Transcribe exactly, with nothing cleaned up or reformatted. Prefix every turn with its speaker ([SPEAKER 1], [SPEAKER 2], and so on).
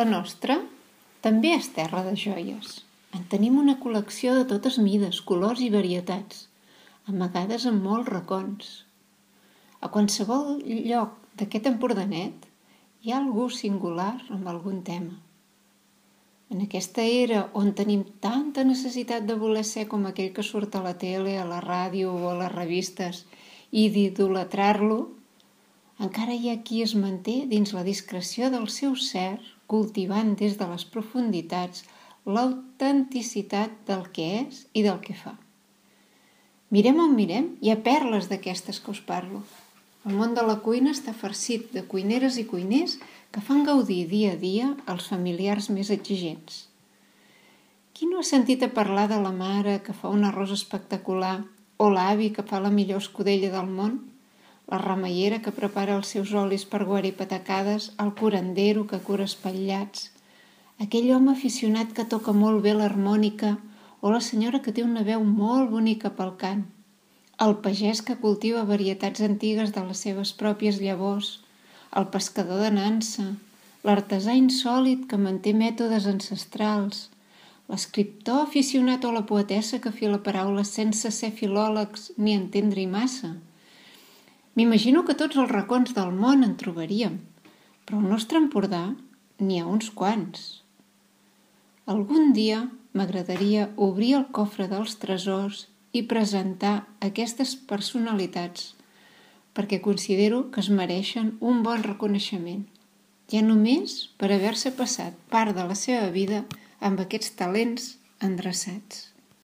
[SPEAKER 1] La nostra també és terra de joies. En tenim una col·lecció de totes mides, colors i varietats, amagades en molts racons. A qualsevol lloc d'aquest Empordanet hi ha algú singular amb algun tema. En aquesta era on tenim tanta necessitat de voler ser com aquell que surt a la tele, a la ràdio o a les revistes i d'idolatrar-lo, encara hi ha qui es manté dins la discreció del seu ser, cultivant des de les profunditats l'autenticitat del que és i del que fa. Mirem on mirem, hi ha perles d'aquestes que us parlo. El món de la cuina està farcit de cuineres i cuiners que fan gaudir dia a dia els familiars més exigents. Qui no ha sentit a parlar de la mare que fa un arròs espectacular o l'avi que fa la millor escudella del món? La remeiera que prepara els seus olis per guarir patacades, el curandero que cura espatllats, aquell home aficionat que toca molt bé l'harmònica o la senyora que té una veu molt bonica pel cant, el pagès que cultiva varietats antigues de les seves pròpies llavors, el pescador de nansa, l'artesà insòlit que manté mètodes ancestrals, l'escriptor aficionat o la poetessa que fila paraules sense ser filòlegs ni entendre-hi massa. M'imagino que tots els racons del món en trobaríem, però al nostre Empordà n'hi ha uns quants. Algun dia m'agradaria obrir el cofre dels tresors i presentar aquestes personalitats, perquè considero que es mereixen un bon reconeixement, ja només per haver-se passat part de la seva vida amb aquests talents endreçats.